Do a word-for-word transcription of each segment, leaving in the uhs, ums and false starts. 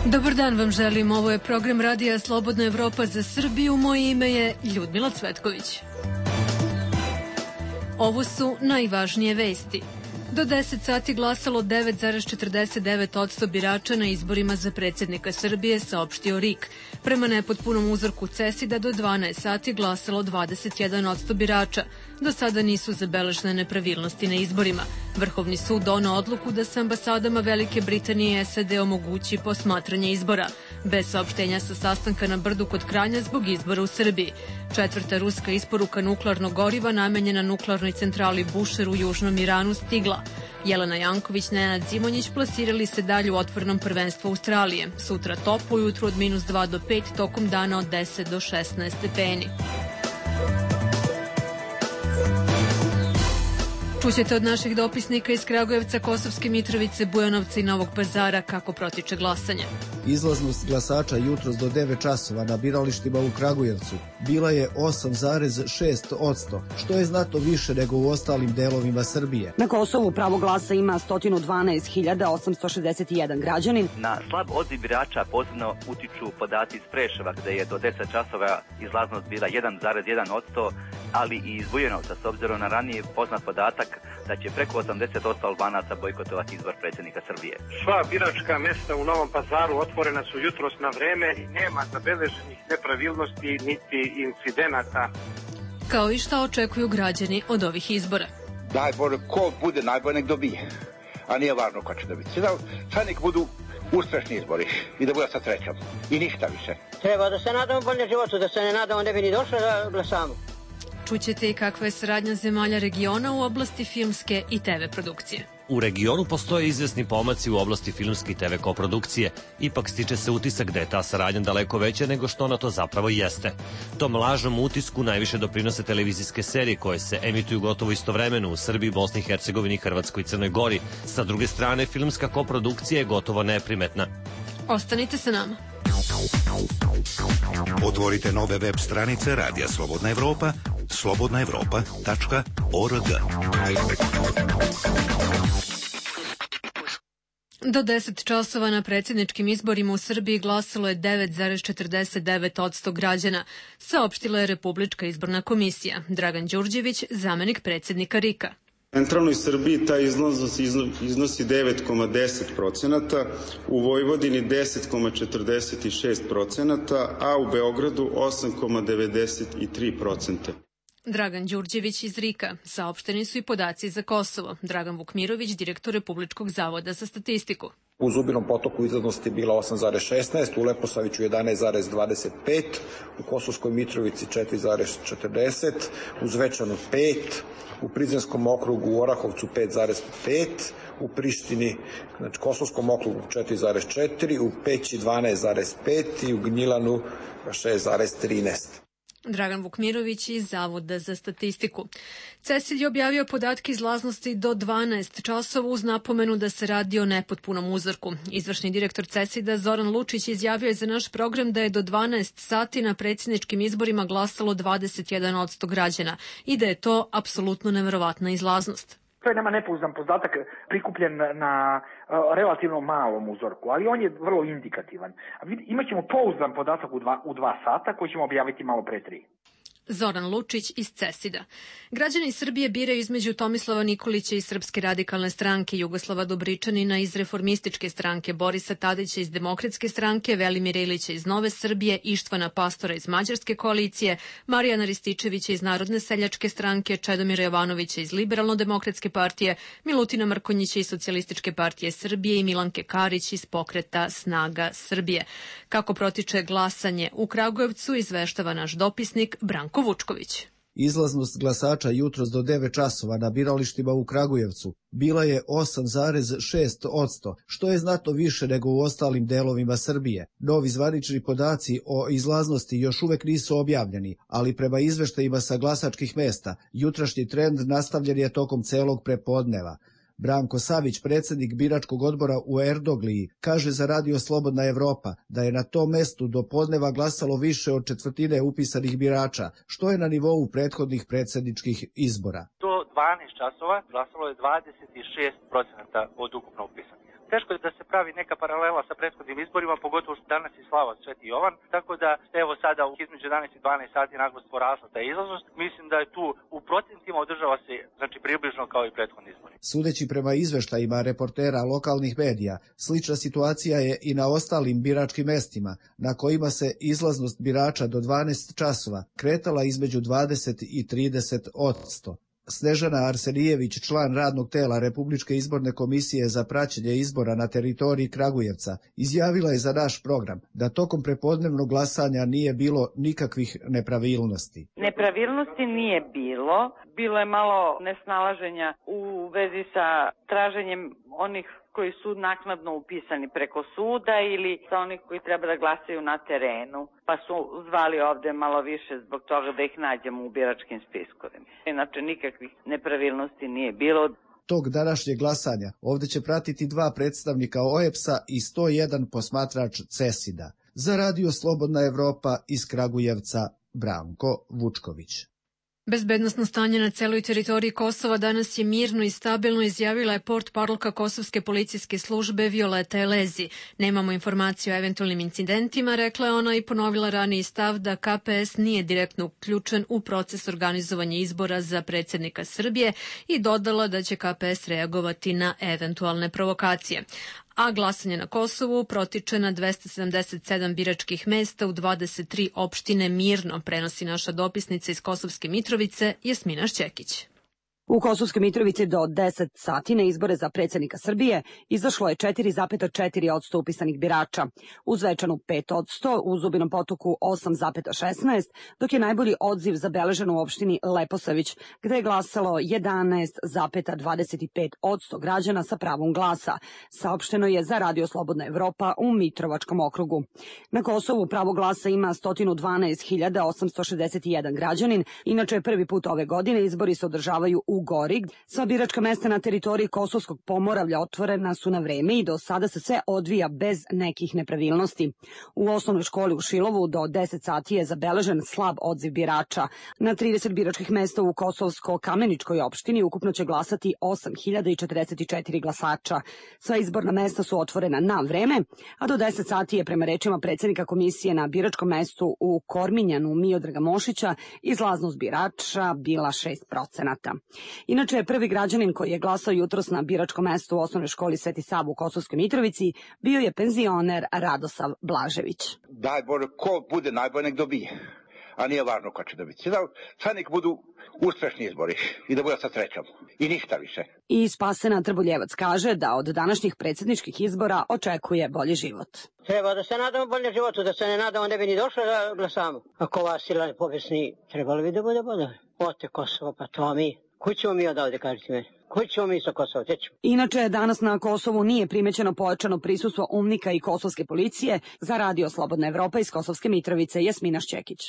Dobar dan vam želim, ovo je program radija Slobodna Evropa za Srbiju, moje ime je Ljudmila Cvetković. Ovo su najvažnije vesti. Do deset sati glasalo devet zarez četrdeset devet posto birača na izborima za predsjednika Srbije, saopštio R I K. Prema nepotpunom uzorku CESID-a do dvanaest sati glasalo dvadeset jedan posto birača. Do sada nisu zabeležene nepravilnosti na izborima. Vrhovni sud doneo odluku da se ambasadama Velike Britanije i S A D omogući posmatranje izbora. Bez saopštenja sa sastanka na Brdu kod Kranja zbog izbora u Srbiji. Četvrta ruska isporuka nuklearnog goriva namenjena nuklearnoj centrali Bušer u Južnom Iranu stigla. Jelena Janković, Nenad Zimonjić plasirali se dalje u otvorenom prvenstvu Australije. Sutra toplo, ujutru od minus dva do pet, tokom dana od deset do šesnaest stepeni. Čućete od naših dopisnika iz Kragujevca, Kosovske Mitrovice, Bujanovca i Novog Pazara kako protiče glasanje. Izlaznost glasača jutros do devet časova na biralištima u Kragujevcu bila je osam zarez šest posto, što je znatno više nego u ostalim delovima Srbije. Na Kosovu pravo glasa ima sto dvanaest hiljada osamsto šezdeset jedan građanin. Na slab odziv birača posebno utiču podaci iz Preševa, gde je do deset časova izlaznost bila jedan zarez jedan posto, ali i iz Bujanovca, s obzirom na ranije poznat podatak da će preko osamdeset posto Albanaca bojkotovati izbor predsjednika Srbije. Sva biračka mesta u Novom Pazaru otvorena su jutros na vreme i nema zabeleženih nepravilnosti niti incidenata. Kao i šta očekuju građani od ovih izbora. Najbolje, ko bude najbolje nek dobije, a nije važno ko će dobiti. Sad nek budu uspešni izbori i da bude sa srećom i ništa više. Treba da se nadamo bolje životu, da se ne nadamo ne bi ni došlo da glasamo. Čućete i kakva je saradnja zemalja regiona u oblasti filmske i T V produkcije. U regionu postoje izvesni pomaci u oblasti filmske i T V koprodukcije. Ipak stiče se utisak da je ta saradnja daleko veća nego što ona to zapravo jeste. Tom lažnom utisku najviše doprinose televizijske serije koje se emituju gotovo istovremeno u Srbiji, Bosni i Hercegovini, Hrvatskoj i Crnoj Gori. Sa druge strane, filmska koprodukcija je gotovo neprimetna. Ostanite sa nama. Otvorite nove web stranice Radija Slobodna Evropa, slobodna evropa tačka org. Do deset časova na predsjedničkim izborima u Srbiji glasalo je devet zarez četrdeset devet posto građana, saopštila je Republička izborna komisija. Dragan Đurđević, zamenik predsjednika R I K-a. U centralnoj Srbiji ta izlaznost iznosi devet zarez deset procenata, u Vojvodini deset zarez četrdeset šest procenata, a u Beogradu osam zarez devedeset tri procenta. Dragan Đurđević iz R I K-a. Saopšteni su i podaci za Kosovo. Dragan Vukmirović, direktor Republičkog zavoda za statistiku. U Zubinom Potoku izlaznost je bila osam zarez šesnaest, u Leposaviću jedanaest zarez dvadeset pet, u Kosovskoj Mitrovici četiri zarez četrdeset, u Zvečanu pet, u Prizrenskom okrugu u Orahovcu pet zarez pet, u Prištini, znači Kosovskom okrugu četiri zarez četiri, u Peći dvanaest zarez pet i u Gnjilanu šest zarez trinaest. Dragan Vukmirović iz Zavoda za statistiku. CESID je objavio podatke izlaznosti do dvanaest časova uz napomenu da se radi o nepotpunom uzorku. Izvršni direktor CESID-a Zoran Lučić izjavio je za naš program da je do dvanaest sati na predsjedničkim izborima glasalo dvadeset jedan posto građana i da je to apsolutno neverovatna izlaznost. To je nama nepouzdan podatak prikupljen na uh, relativno malom uzorku, ali on je vrlo indikativan. Imaćemo pouzdan podatak u dva, u dva sata koji ćemo objaviti malo pre tri. Zoran Lučić iz CESID-a. Građani Srbije biraju između Tomislava Nikolića iz Srpske radikalne stranke, Jugoslava Dobričanina iz Reformističke stranke, Borisa Tadića iz Demokratske stranke, Velimira Ilića iz Nove Srbije, Ištvana Pastora iz Mađarske koalicije, Marijana Rističevića iz Narodne seljačke stranke, Čedomira Jovanovića iz Liberalno-demokratske partije, Milutina Mrkonjića iz Socijalističke partije Srbije i Milanke Karić iz Pokreta Snaga Srbije. Kako protiče glasanje u Kragujevcu, izveštava naš dopisnik Branko Vučković. Izlaznost glasača jutros do devet časova na biralištima u Kragujevcu bila je osam zarez šest posto, što je znatno više nego u ostalim delovima Srbije. Novi zvanični podaci o izlaznosti još uvek nisu objavljeni, ali prema izveštajima sa glasačkih mesta, jutrašnji trend nastavljen je tokom celog prepodneva. Branko Savić, predsjednik biračkog odbora u Erdogliji, kaže za Radio Slobodna Evropa da je na tom mestu do podneva glasalo više od četvrtine upisanih birača, što je na nivou prethodnih predsjedničkih izbora. Do dvanaest časova glasalo je dvadeset šest procenata od ukupno upisanih. teško je da se pravi neka paralela sa prethodnim izborima, pogotovo što danas je slava Sveti Jovan, tako da evo sada između jedanaest i dvanaest sati naglas porasla ta izlaznost. Mislim da je tu u procentima održava se znači približno kao i prethodni izbori. Sudeći prema izveštajima reportera lokalnih medija, slična situacija je i na ostalim biračkim mestima, na kojima se izlaznost birača do dvanaest časova kretala između dvadeset i trideset odsto. Snežana Arsenijević, član radnog tela Republičke izborne komisije za praćenje izbora na teritoriji Kragujevca, izjavila je za naš program da tokom prepodnevnog glasanja nije bilo nikakvih nepravilnosti. Nepravilnosti nije bilo. Bilo je malo nesnalaženja u vezi sa traženjem onih koji su naknadno upisani preko suda ili sa onih koji treba da glasaju na terenu, pa su zvali ovde malo više zbog toga da ih nađemo u biračkim spiskovima. Inače, nikakvih nepravilnosti nije bilo. Tog današnjeg glasanja ovde će pratiti dva predstavnika O E P S-a i sto jedan posmatrač CESID-a. Za Radio Slobodna Evropa iz Kragujevca, Branko Vučković. Bezbednosno stanje na celoj teritoriji Kosova danas je mirno i stabilno, izjavila je portparolka Kosovske policijske službe Violeta Elezi. Nemamo informaciju o eventualnim incidentima, rekla je ona i ponovila raniji stav da K P S nije direktno uključen u proces organizovanja izbora za predsjednika Srbije i dodala da će K P S reagovati na eventualne provokacije. A glasanje na Kosovu protiče na dvesta sedamdeset sedam biračkih mesta u dvadeset tri opštine mirno, prenosi naša dopisnica iz Kosovske Mitrovice Jasmina Šćekić. U Kosovskoj Mitrovici do deset sati na izbore za predsjednika Srbije izašlo je četiri zarez četiri odsto upisanih birača, u Zvečanu pet odsto, u Zubinom Potoku osam zarez šesnaest, dok je najbolji odziv zabeležen u opštini Leposavić, gde je glasalo jedanaest zarez dvadeset pet odsto građana sa pravom glasa, saopšteno je za Radio Slobodna Evropa u Mitrovačkom okrugu. Na Kosovu pravo glasa ima sto dvanaest hiljada osamsto šezdeset jedan građanin, inače prvi put ove godine izbori se održavaju u Gori. Sva biračka mesta na teritoriji Kosovskog Pomoravlja otvorena su na vreme i do sada se sve odvija bez nekih nepravilnosti. U osnovnoj školi u Šilovu do deset sati je zabeležen slab odziv birača. Na trideset biračkih mesta u Kosovsko-Kameničkoj opštini ukupno će glasati osam hiljada četrdeset četiri glasača. Sva izborna mesta su otvorena na vreme, a do deset sati je prema rečima predsjednika komisije na biračkom mestu u Korminjanu Miodraga Mošića izlaznost birača bila šest procenata. Inače, prvi građanin koji je glasao jutros na biračkom mestu u osnovnoj školi Sveti Sava u Kosovskoj Mitrovici bio je penzioner Radosav Blažević. Daj Bože, ko bude najbolje nek dobije, a nije važno ko će dobiti. Sad nek budu uspešni izbori i da bude sa srećom. I ništa više. I Spasena Trboljevac kaže da od današnjih predsjedničkih izbora očekuje bolji život. Treba da se nadamo bolje životu, da se ne nadamo ne bi ni došlo da glasamo. Ako ova sila pobjesni, trebalo bi da bude bolje. Ote Kosovo, pa to mi. Koji ćemo mi odavde, kažete meni? Koji ćemo mi sa Kosova? Tećemo. Inače, danas na Kosovu nije primećeno pojačano prisustvo umnika i kosovske policije. Za Radio Slobodna Evropa iz Kosovske Mitrovice, Jasmina Šćekić.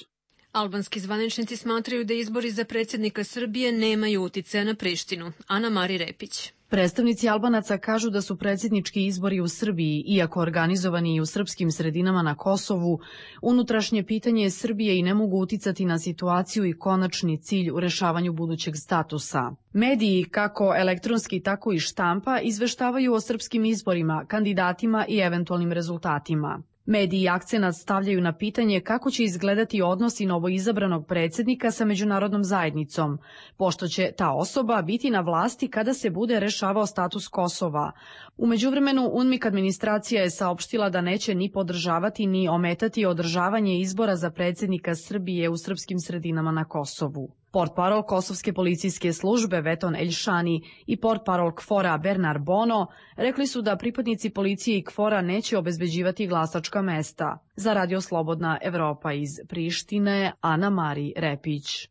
Albanski zvaničnici smatraju da izbori za predsjednika Srbije nemaju uticaja na Prištinu. Ana Mari Repić. Predstavnici Albanaca kažu da su predsjednički izbori u Srbiji, iako organizovani i u srpskim sredinama na Kosovu, unutrašnje pitanje Srbije i ne mogu uticati na situaciju i konačni cilj u rešavanju budućeg statusa. Mediji, kako elektronski, tako i štampa, izveštavaju o srpskim izborima, kandidatima i eventualnim rezultatima. Mediji akcenat stavljaju na pitanje kako će izgledati odnosi novoizabranog predsjednika sa međunarodnom zajednicom, pošto će ta osoba biti na vlasti kada se bude rešavao status Kosova. U međuvremenu, UNMIK administracija je saopštila da neće ni podržavati ni ometati održavanje izbora za predsjednika Srbije u srpskim sredinama na Kosovu. Portparol Kosovske policijske službe Veton Eljšani i portparol KFOR-a Bernar Bono rekli su da pripadnici policije i KFOR-a neće obezbeđivati glasačka mesta. Za Radio Slobodna Evropa iz Prištine, Ana Mari Repić.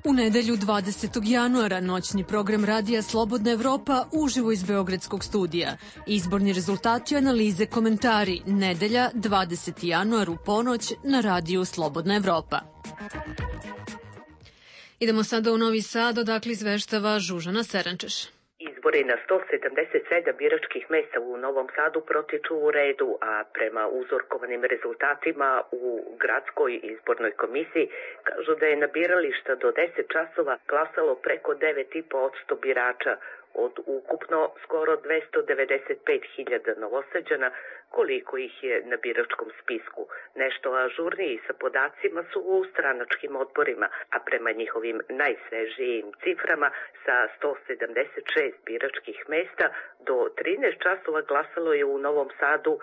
U nedelju dvadesetog januara noćni program Radija Slobodna Evropa uživo iz Beogradskog studija. Izborni rezultati, analize, komentari. Nedelja dvadeseti januar u ponoć na Radiju Slobodna Evropa. Idemo sada u Novi Sad, odakle izveštava Žužana Serančeš. Izbori na sto sedamdeset sedam biračkih mesta u Novom Sadu protiču u redu, a prema uzorkovanim rezultatima u gradskoj izbornoj komisiji kažu da je na birališta do deset časova glasalo preko devet zarez pet posto birača od ukupno skoro dvesta devedeset pet hiljada Novosađana, koliko ih je na biračkom spisku. Nešto ažurniji sa podacima su u stranačkim odborima, a prema njihovim najsvežijim ciframa sa sto sedamdeset šest biračkih mesta do trinaest časova glasalo je u Novom Sadu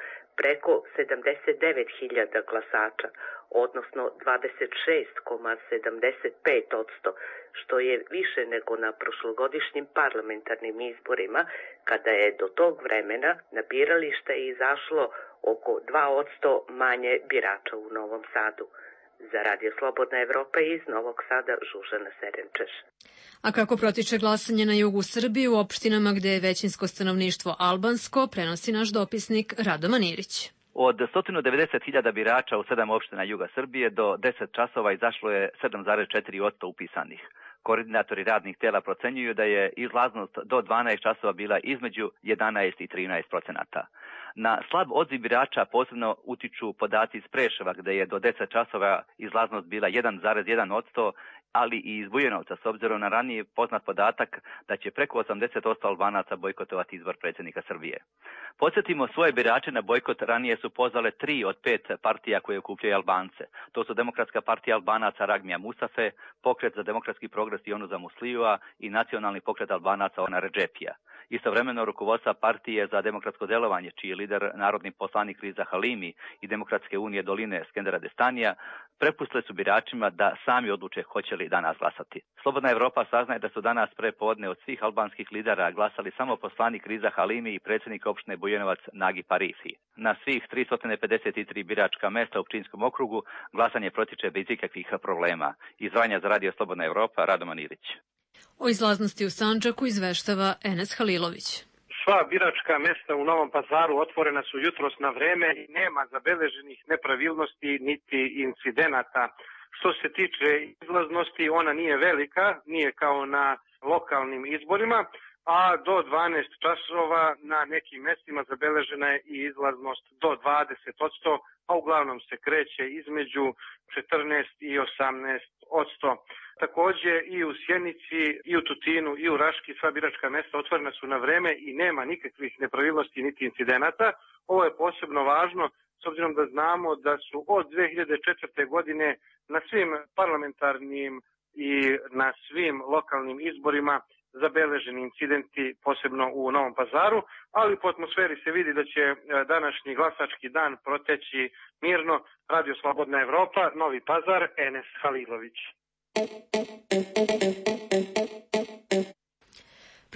preko sedamdeset devet hiljada glasača, odnosno dvadeset šest zarez sedamdeset pet posto, što je više nego na prošlogodišnjim parlamentarnim izborima, kada je do tog vremena na biralište izašlo oko dva posto manje birača u Novom Sadu. Za Radio Slobodna Evropa iz Novog Sada, Žužana Serenčeš. A kako protiče glasanje na jugu Srbije u opštinama gde je većinsko stanovništvo albansko, prenosi naš dopisnik Rado Manirić. Od sto devedeset hiljada birača u sedam opština juga Srbije do deset časova izašlo je sedam zarez četiri posto upisanih. Koordinatori radnih tela procenjuju da je izlaznost do dvanaest časova bila između jedanaest i trinaest procenata. Na slab odziv birača posebno utiču podaci iz Preševa, gde je do deset časova izlaznost bila jedan zarez jedan posto, ali i iz Bujanovca, s obzirom na ranije poznat podatak da će preko osamdeset posto Albanaca bojkotovati izbor predsjednika Srbije. Podsjetimo, svoje birače na bojkot ranije su pozvale tri od pet partija koje okupljaju Albance. To su Demokratska partija Albanaca Ragmija Musafe, Pokret za demokratski progres Jonuza Muslijua i Nacionalni pokret Albanaca Ona Redžepija. Istovremeno rukovodstva partije za demokratsko delovanje, čiji je lider narodni poslanik Riza Halimi i Demokratske unije Doline Skendera Destanija, prepustile su biračima da sami odluče hoće li danas glasati. Slobodna Evropa saznaje da su danas pre podne od svih albanskih lidera glasali samo poslanik Riza Halimi i predsjednik opštine Bujanovac Nagi Parifi. Na svih tristo pedeset tri biračka mesta u Pčinjskom okrugu glasanje protiče bez ikakvih problema. Iz Vranja za Radio Slobodna Evropa, Rado Manirić. O izlaznosti u Sandžaku izveštava Enes Halilović. Sva biračka mesta u Novom Pazaru otvorena su jutros na vreme i nema zabeleženih nepravilnosti niti incidenata. Što se tiče izlaznosti, ona nije velika, nije kao na lokalnim izborima, a do dvanaest časova na nekim mestima zabeležena je i izlaznost do dvadeset posto, a uglavnom se kreće između četrnaest i osamnaest posto. Takođe i u Sjenici, i u Tutinu, i u Raški sva biračka mesta otvorena su na vreme i nema nikakvih nepravilnosti niti incidenata. Ovo je posebno važno s obzirom da znamo da su od dve hiljade četvrte. godine na svim parlamentarnim i na svim lokalnim izborima zabeleženi incidenti, posebno u Novom Pazaru, ali po atmosferi se vidi da će današnji glasački dan proteći mirno. Radio Slobodna Evropa, Novi Pazar, Enes Halilović.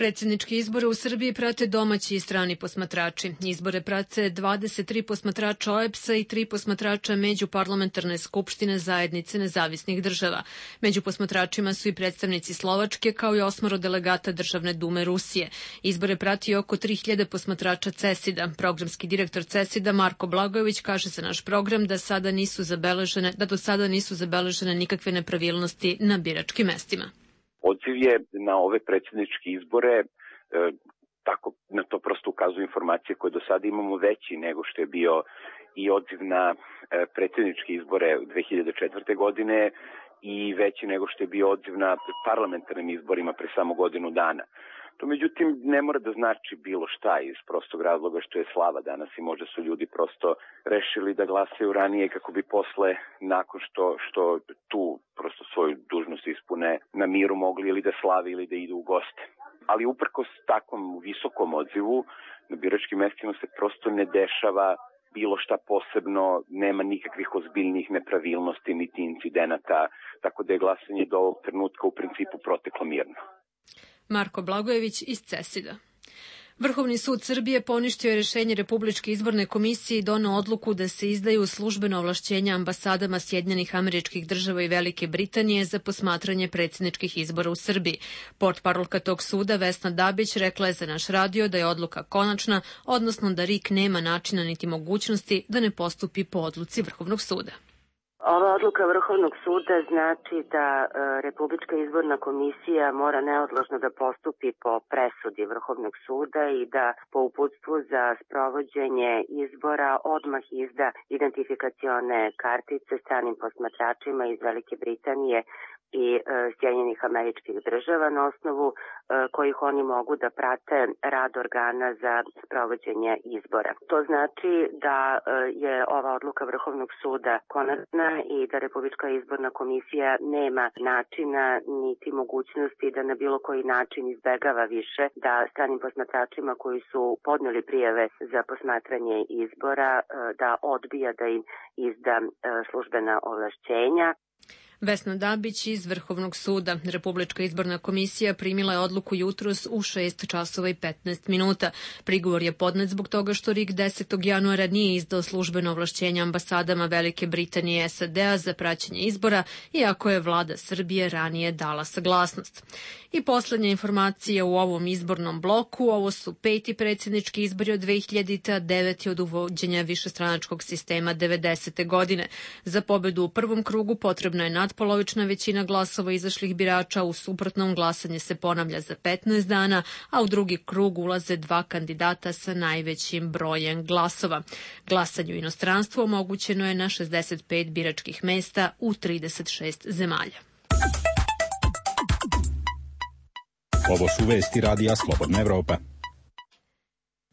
Predsjednički izbore u Srbiji prate domaći i strani posmatrači. Izbore prate dvadeset tri posmatrača O E B S-a i tri posmatrača Međuparlamentarne skupštine zajednice nezavisnih država. Među posmatračima su i predstavnici Slovačke, kao i osmoro delegata Državne dume Rusije. Izbore prati oko tri hiljade posmatrača CESID-a. Programski direktor CESID-a Marko Blagojević kaže za naš program da sada nisu zabeležene, da do sada nisu zabeležene nikakve nepravilnosti na biračkim mestima. Odziv je na ove predsjedničke izbore, e, tako na to prosto ukazuju informacije koje do sada imamo, veći nego što je bio i odziv na e, predsjedničke izbore dve hiljade četvrte. godine i veći nego što je bio odziv na parlamentarnim izborima pre samo godinu dana. To međutim ne mora da znači bilo šta iz prostog razloga što je slava danas i možda su ljudi prosto rešili da glasaju ranije kako bi posle, nakon što, što tu prosto svoju dužnost ispune, na miru mogli ili da slavi ili da idu u goste. Ali uprkos takvom visokom odzivu na biračkim mestima se prosto ne dešava bilo šta posebno, nema nikakvih ozbiljnih nepravilnosti niti incidenata, tako da je glasanje do ovog trenutka u principu proteklo mirno. Marko Blagojević iz CESID-a. Vrhovni sud Srbije poništio je rešenje Republičke izborne komisije i doneo odluku da se izdaju službeno ovlašćenja ambasadama Sjedinjenih Američkih Država i Velike Britanije za posmatranje predsjedničkih izbora u Srbiji. Portparolka tog suda Vesna Dabić rekla je za naš radio da je odluka konačna, odnosno da R I K nema načina niti mogućnosti da ne postupi po odluci Vrhovnog suda. Ova odluka Vrhovnog suda znači da e, Republička izborna komisija mora neodložno da postupi po presudi Vrhovnog suda i da po uputstvu za sprovođenje izbora odmah izda identifikacione kartice stranim posmatračima iz Velike Britanije i e, Sjedinjenih Američkih Država na osnovu e, kojih oni mogu da prate rad organa za sprovođenje izbora. To znači da je ova odluka Vrhovnog suda konačna i da Republička izborna komisija nema načina niti mogućnosti da na bilo koji način izbegava više da stranim posmatračima koji su podneli prijave za posmatranje izbora da odbija da im izda službena ovlašćenja. Vesna Dabić iz Vrhovnog suda. Republička izborna komisija primila je odluku jutros u šest časova i petnaest minuta. Prigovor je podnet zbog toga što RIK desetog januara nije izdao službeno ovlašćenje ambasadama Velike Britanije i S A D-a za praćenje izbora, iako je vlada Srbije ranije dala saglasnost. I poslednja informacija u ovom izbornom bloku, ovo su peti predsjednički izbori od dve hiljadite. a deveti od uvođenja višestranačkog sistema devedesete. godine. Za pobedu u prvom krugu potrebno je nadpolovična većina glasova izašlih birača, u suprotnom glasanje se ponavlja za petnaest dana, a u drugi krug ulaze dva kandidata sa najvećim brojem glasova. Glasanje u inostranstvu omogućeno je na šezdeset pet biračkih mesta u trideset šest zemalja. Ovo su vesti Radija Slobodna Evropa.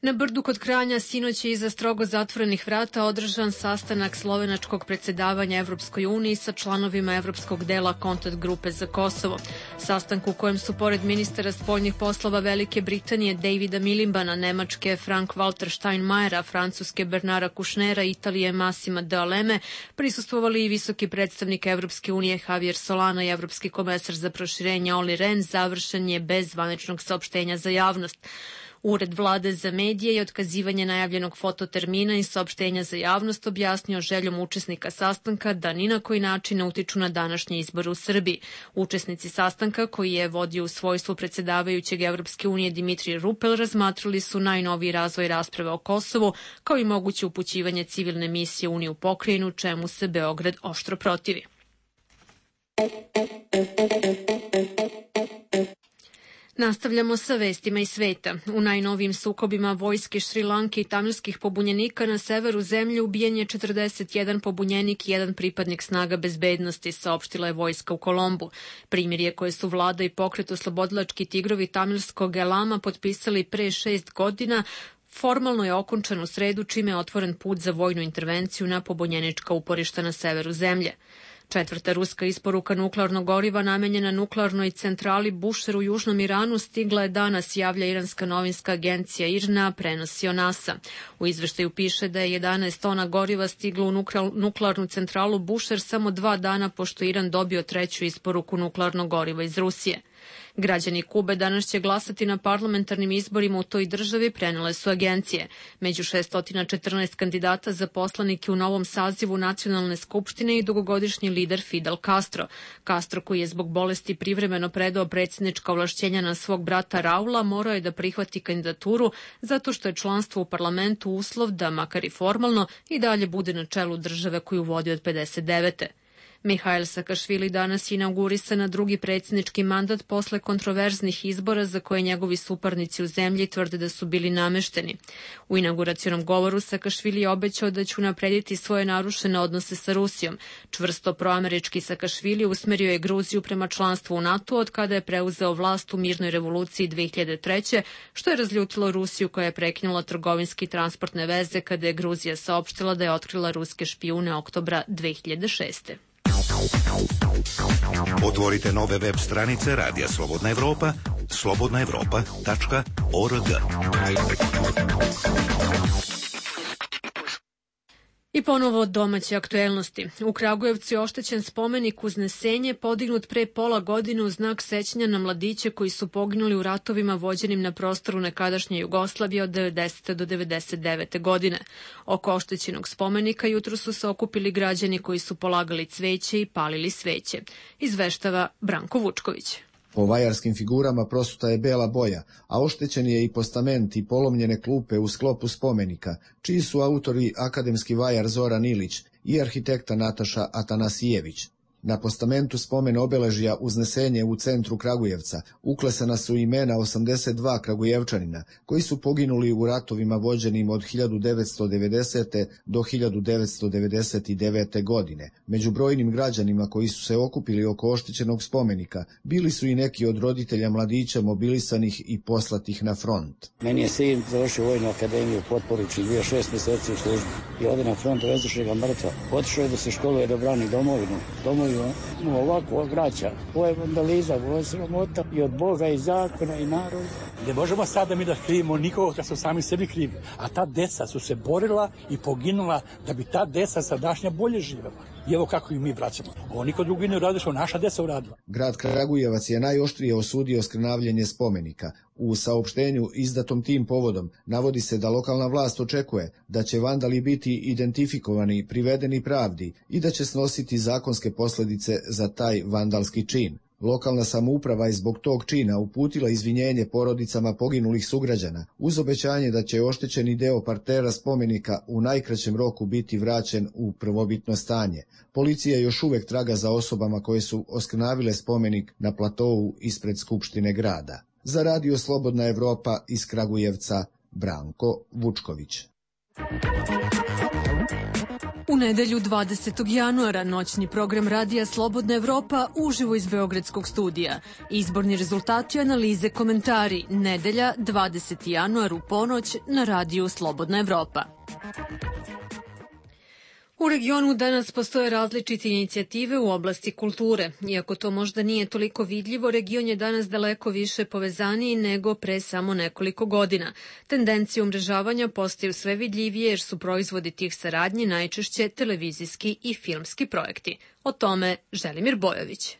Na Brdu kod Kranja sinoć je iza strogo zatvorenih vrata održan sastanak slovenačkog predsjedavanja Evropskoj uniji sa članovima Evropskog dela kontakt grupe za Kosovo. Sastanku u kojem su pored ministara spoljnih poslova Velike Britanije Davida Milimbana, Nemačke Frank-Walter Steinmeiera, Francuske Bernara Kušnera, Italije Massima D'Aleme prisustvovali i visoki predstavnik Evropske unije Javier Solana i Evropski komesar za proširenje Olli Rehn, završen je bez zvaničnog saopštenja za javnost. Ured vlade za medije i otkazivanje najavljenog fototermina i saopštenja za javnost objasnio željom učesnika sastanka da ni na koji način ne utiču na današnje izbore u Srbiji. Učesnici sastanka, koji je vodio u svojstvu predsjedavajućeg Evropske unije Dimitrij Rupel, razmatrali su najnoviji razvoj rasprave o Kosovu, kao i moguće upućivanje civilne misije Unije u pokrajinu, čemu se Beograd oštro protivi. Nastavljamo sa vestima iz sveta. U najnovijim sukobima vojske Šrilanke i tamilskih pobunjenika na severu zemlje ubijen je četrdeset jedan pobunjenik i jedan pripadnik snaga bezbednosti, saopštila je vojska u Kolombu. Primirje koje su vlada i pokret oslobodilački tigrovi tamilskog Elama potpisali pre šest godina formalno je okončan u sredu, čime je otvoren put za vojnu intervenciju na pobunjenička uporišta na severu zemlje. Četvrta ruska isporuka nuklearnog goriva namenjena nuklearnoj centrali Bushehr u Južnom Iranu stigla je danas, javlja iranska novinska agencija I R N A, prenosi NASA. U izveštaju piše da je jedanaest tona goriva stiglo u nuklearnu centralu Bushehr samo dva dana pošto Iran dobio treću isporuku nuklearnog goriva iz Rusije. Građani Kube danas će glasati na parlamentarnim izborima u toj državi, prenele su agencije. Među šessto četrnaest kandidata za poslanike u novom sazivu Nacionalne skupštine i dugogodišnji lider Fidel Castro. Castro, koji je zbog bolesti privremeno predao predsjednička ovlašćenja na svog brata Raula, morao je da prihvati kandidaturu zato što je članstvo u parlamentu uslov da, makar i formalno, i dalje bude na čelu države koju vodi od pedeset devete. Mihail Sakašvili danas inaugurisa na drugi predsjednički mandat posle kontroverznih izbora za koje njegovi suparnici u zemlji tvrde da su bili namešteni. U inauguracionom govoru Sakašvili je obećao da će unaprediti svoje narušene odnose sa Rusijom. Čvrsto proamerički Sakašvili usmerio je Gruziju prema članstvu u NATO od kada je preuzeo vlast u mirnoj revoluciji dve hiljade treće. što je razljutilo Rusiju koja je prekinula trgovinski i transportne veze kada je Gruzija saopštila da je otkrila ruske špijune oktobra dve hiljade šeste. Otvorite nove web stranice Radija Slobodna Evropa, slobodna evropa tačka org. I ponovo domaće aktuelnosti. U Kragujevcu je oštećen spomenik Uznesenje, podignut pre pola godine u znak sećanja na mladiće koji su poginuli u ratovima vođenim na prostoru nekadašnje Jugoslavije od devedesete do devedeset devete. godine. Oko oštećenog spomenika jutro su se okupili građani koji su polagali cveće i palili sveće. Izveštava Branko Vučković. Po vajarskim figurama prosuta je bela boja, a oštećen je i postament i polomljene klupe u sklopu spomenika, čiji su autori akademski vajar Zoran Ilić i arhitekta Nataša Atanasijević. Na postamentu spomen obeležja Uznesenje u centru Kragujevca uklesana su imena osamdeset dva Kragujevčanina koji su poginuli u ratovima vođenim od hiljadu devetsto devedesete. do hiljadu devetsto devedeset devete. godine. Među brojnim građanima koji su se okupili oko oštećenog spomenika bili su i neki od roditelja mladića mobilisanih i poslatih na front. Meni je sin završio vojnu akademiju u Potporuči, bio šest mjeseci u službi i ode na front, vezuše ga mrtva. Otišao je da se školuje da brani domovinu. Domovinu mu ovako vraća. Ovo je vandalizam, ovo je sramota i od Boga i zakona i naroda. Ne možemo sada mi da krivimo nikoga kad su sami sebi krivi. A ta deca su se borila i poginula da bi ta deca sadašnja bolje živela. I evo kako i mi vraćamo. Ovo niko drugi ne uradi što naša deca uradila. Grad Kragujevac je najoštrije osudio skrnavljenje spomenika. U saopštenju izdatom tim povodom navodi se da lokalna vlast očekuje da će vandali biti identifikovani, privedeni pravdi i da će snositi zakonske posljedice za taj vandalski čin. Lokalna samouprava je zbog tog čina uputila izvinjenje porodicama poginulih sugrađana, uz obećanje da će oštećeni deo partera spomenika u najkraćem roku biti vraćen u prvobitno stanje. Policija još uvek traga za osobama koje su oskrnavile spomenik na platovu ispred Skupštine grada. Za Radio Slobodna Evropa iz Kragujevca, Branko Vučković. U nedelju dvadesetog januara noćni program Radija Slobodna Evropa uživo iz Beogradskog studija. Izborni rezultati, analize, komentari. Nedelja dvadeseti januar u ponoć na Radiju Slobodna Evropa. U regionu danas postoje različite inicijative u oblasti kulture. Iako to možda nije toliko vidljivo, region je danas daleko više povezaniji nego pre samo nekoliko godina. Tendencije umrežavanja postaju sve vidljivije jer su proizvodi tih saradnji najčešće televizijski i filmski projekti. O tome Želimir Bojović.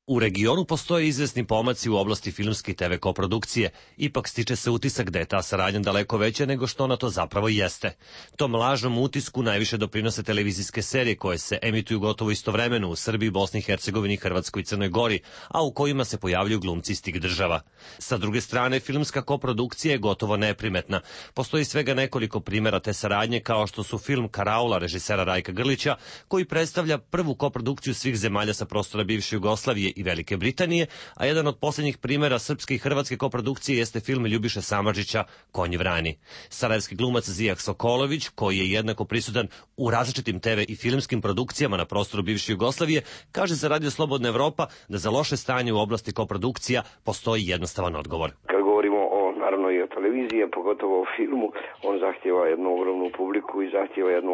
U regionu postoje izvesni pomaci u oblasti filmske i te ve koprodukcije, ipak stiče se utisak da je ta saradnja daleko veća nego što ona to zapravo jeste. Tom lažnom utisku najviše doprinose televizijske serije koje se emituju gotovo istovremeno u Srbiji, Bosni i Hercegovini, Hrvatskoj i Crnoj Gori, a u kojima se pojavljuju glumci iz tih država. Sa druge strane, filmska koprodukcija je gotovo neprimetna. Postoji svega nekoliko primjera te saradnje, kao što su film Karaula režisera Rajka Grlića, koji predstavlja prvu koprodukciju svih zemalja sa prostora bivše Jugoslavije i Velike Britanije, a jedan od posljednjih primjera srpske i hrvatske koprodukcije jeste film Ljubiše Samardžića Konj vrani. Sarajevski glumac Zijak Sokolović, koji je jednako prisutan u različitim te ve i filmskim produkcijama na prostoru bivše Jugoslavije, kaže za Radio Slobodna Evropa da za loše stanje u oblasti koprodukcija postoji jednostavan odgovor. Kad govorimo o, naravno i o televiziji, pogotovo o filmu, on zahtjeva jednu ogromnu publiku i zahtjeva jednu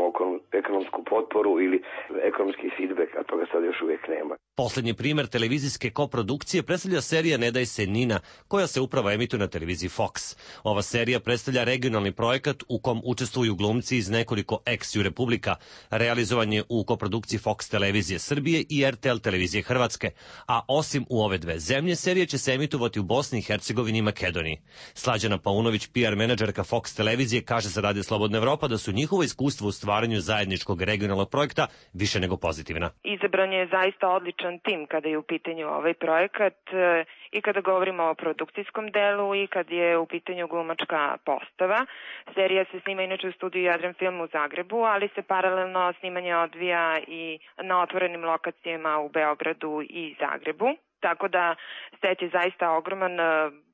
ekonomsku potporu ili ekonomski feedback, a toga sad još uvijek nema. Poslednji primjer televizijske koprodukcije predstavlja serija Ne daj se Nina, koja se upravo emituje na televiziji Fox. Ova serija predstavlja regionalni projekat u kom učestvuju glumci iz nekoliko ex-ju republika. Realizovan je u koprodukciji Fox televizije Srbije i er te el televizije Hrvatske, a osim u ove dve zemlje, serija će se emitovati u Bosni i Hercegovini i Makedoniji. Slađana Paunović, P R menadžerka Fox televizije, kaže za Radio Slobodna Evropa da su njihovo iskustvo u stvaranju zajedničkog regionalnog projekta više nego pozitivna. Izabran je zaista odličan tim kada je u pitanju ovaj projekat i kada govorimo o produkcijskom delu i kad je u pitanju glumačka postava. Serija se snima inače u studiju Jadran Film u Zagrebu, ali se paralelno snimanje odvija i na otvorenim lokacijama u Beogradu i Zagrebu. Tako da set je zaista ogroman,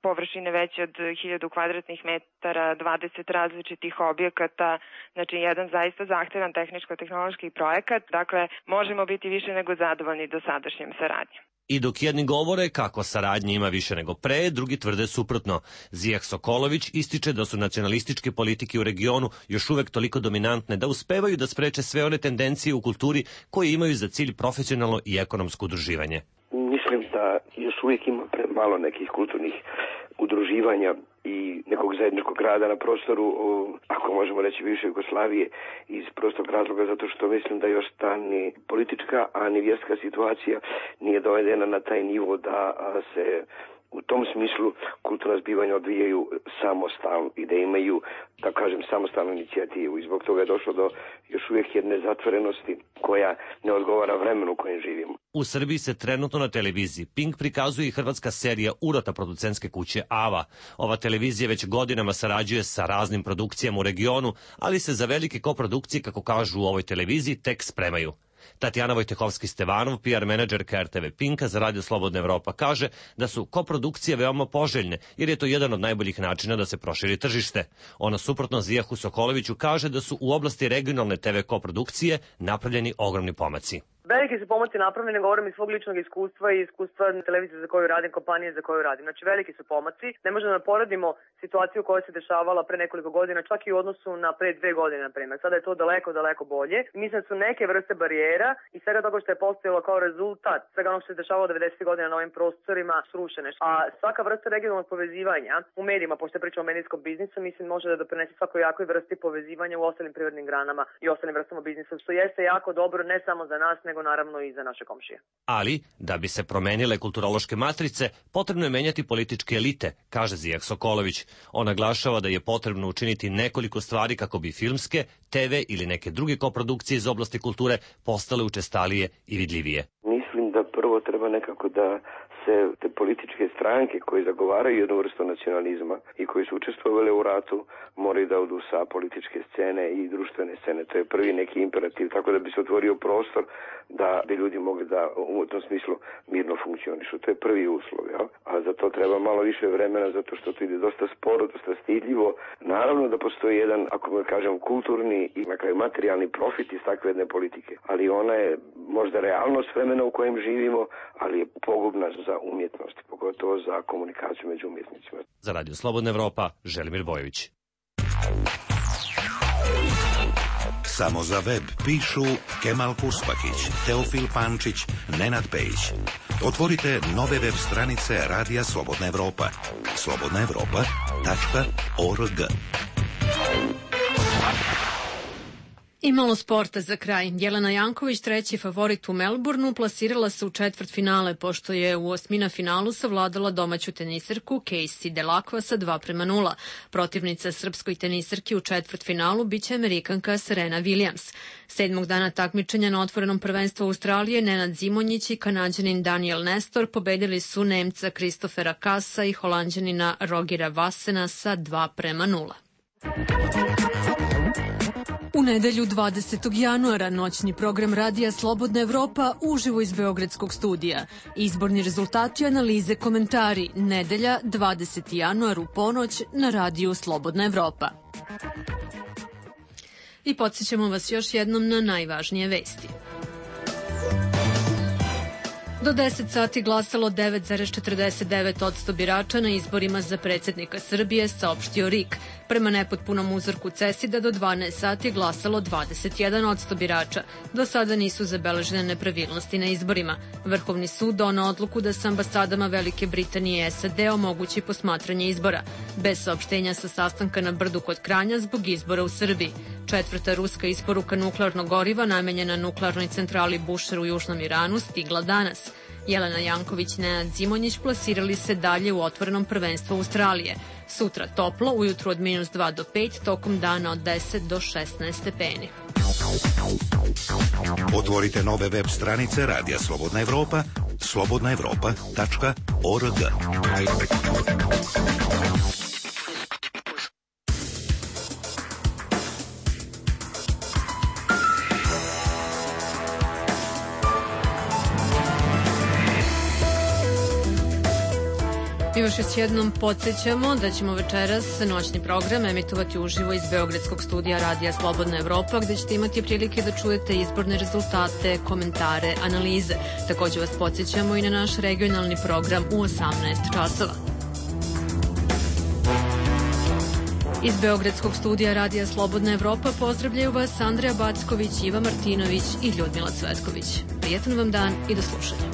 površine veće od hiljadu kvadratnih metara, dvadeset različitih objekata, znači jedan zaista zahtevan tehničko-tehnološki projekat, dakle možemo biti više nego zadovoljni dosadašnjim saradnjom. I dok jedni govore kako saradnje ima više nego pre, drugi tvrde suprotno. Zijak Sokolović ističe da su nacionalističke politike u regionu još uvek toliko dominantne da uspevaju da spreče sve one tendencije u kulturi koje imaju za cilj profesionalno i ekonomsko udruživanje. Mislim da još uvijek ima premalo nekih kulturnih udruživanja i nekog zajedničkog rada na prostoru, ako možemo reći, bivše Jugoslavije, iz prostog razloga zato što mislim da još ta ni politička, a ni vjerska situacija nije dovedena na taj nivo da se u tom smislu kulturna zbivanja odvijaju samostalno i da imaju, da kažem, samostalnu inicijativu. I zbog toga je došlo do još uvijek jedne zatvorenosti koja ne odgovara vremenu u kojem živimo. U Srbiji se trenutno na televiziji Pink prikazuje i hrvatska serija Urota producentske kuće Ava. Ova televizija već godinama sarađuje sa raznim produkcijama u regionu, ali se za velike koprodukcije, kako kažu u ovoj televiziji, tek spremaju. Tatjana Vojtehovski-Stevanov, P R menadžerka R T V Pinka za Radio Slobodna Evropa, kaže da su koprodukcije veoma poželjne, jer je to jedan od najboljih načina da se proširi tržište. Ona suprotno Zijahu Sokoloviću kaže da su u oblasti regionalne T V koprodukcije napravljeni ogromni pomaci. Veliki su pomaci napravljeni, govorim iz svog ličnog iskustva i iskustva televizije za koju radim, kompanije za koju radim. Znači veliki su pomaci. Ne možemo da poredimo situaciju koja se dešavala pre nekoliko godina, čak i u odnosu na pre dve godine, na primjer. Sada je to daleko, daleko bolje. Mislim da su neke vrste barijera i svega toga što je postojalo kao rezultat svega ono što se dešavalo devedesetih godina na ovim prostorima srušene. A svaka vrsta regionalnog povezivanja u medijima, pošto je priča o medijskom biznisu, mislim može da doprinese svakoj jakoj vrsti povezivanja u ostalim privrednim granama i ostalim vrstama biznisa, što jeste jako dobro ne samo za nas, nego naravno i za naše komšije. Ali, da bi se promenile kulturološke matrice, potrebno je menjati političke elite, kaže Zijah Sokolović. On naglašava da je potrebno učiniti nekoliko stvari kako bi filmske, T V ili neke druge koprodukcije iz oblasti kulture postale učestalije i vidljivije. Mislim da prvo treba nekako da se te političke stranke koje zagovaraju jednu vrstu nacionalizma i koji su učestvovali u ratu moraju da odu sa političke scene i društvene scene. To je prvi neki imperativ, tako da bi se otvorio prostor da bi ljudi mogli da u tom smislu mirno funkcionišu. To je prvi uslov, ja? A za to treba malo više vremena zato što to ide dosta sporo, dosta stidljivo. Naravno da postoji jedan, ako ga kažem, kulturni i na kraju materijalni profit iz takve jedne politike, ali ona je možda realnost vremena u kojem živimo, ali je pogubna za umjetnost, pogotovo za komunikaciju među umjetnicima. Za Radio Slobodna Evropa, Želimir Bojović. Samo za web pišu Kemal Kuspakić, Teofil Pančić, Nenad Pejić. Otvorite nove web stranice Radija Slobodna Evropa. slobodna evropa tačka org. I malo sporta za kraj. Jelena Janković, treći favorit u Melbourneu, plasirala se u četvrtfinale, pošto je u osmina finalu savladala domaću tenisarku Casey Delacqua sa dva prema nula. Protivnica srpskoj tenisarki u četvrtfinalu biće Amerikanka Serena Williams. Sedmog dana takmičenja na otvorenom prvenstvu Australije Nenad Zimonjić i Kanađanin Daniel Nestor pobedili su Nemca Kristofera Kasa i Holanđanina Rogera Vassena sa dva prema nula. U nedelju dvadesetog januara noćni program Radija Slobodna Evropa uživo iz Beogradskog studija. Izborni rezultati, analize, komentari. Nedelja dvadeseti januar u ponoć na Radiju Slobodna Evropa. I podsjećamo vas još jednom na najvažnije vesti. Do deset sati glasalo devet zarez četrdeset devet posto birača na izborima za predsjednika Srbije, saopštio R I K. Prema nepotpunom uzorku CESID-a do dvanaest sati glasalo dvadeset jedan posto birača. Do sada nisu zabeležene nepravilnosti na izborima. Vrhovni sud donao odluku da sa ambasadama Velike Britanije i S A D omogući posmatranje izbora, bez saopštenja sa sastanka na Brdu kod Kranja zbog izbora u Srbiji. Četvrta ruska isporuka nuklearnog goriva namenjena nuklearnoj centrali Bushehr u Južnom Iranu stigla danas. Jelena Janković i Nenad Zimonjić plasirali se dalje u otvorenom prvenstvu Australije. Sutra toplo, ujutru od minus dva do pet, tokom dana od deset do šesnaest stepeni. Otvorite nove web stranice Radija Slobodna Evropa, slobodna evropa tačka org. Mi još još jednom podsjećamo da ćemo večeras noćni program emitovati uživo iz Beogradskog studija Radija Slobodna Evropa, gde ćete imati prilike da čujete izborne rezultate, komentare, analize. Takođe vas podsjećamo i na naš regionalni program u osamnaest časova. Iz Beogradskog studija Radija Slobodna Evropa pozdravljaju vas Andreja Backović, Iva Martinović i Ljudmila Cvetković. Prijetan vam dan i do slušanja.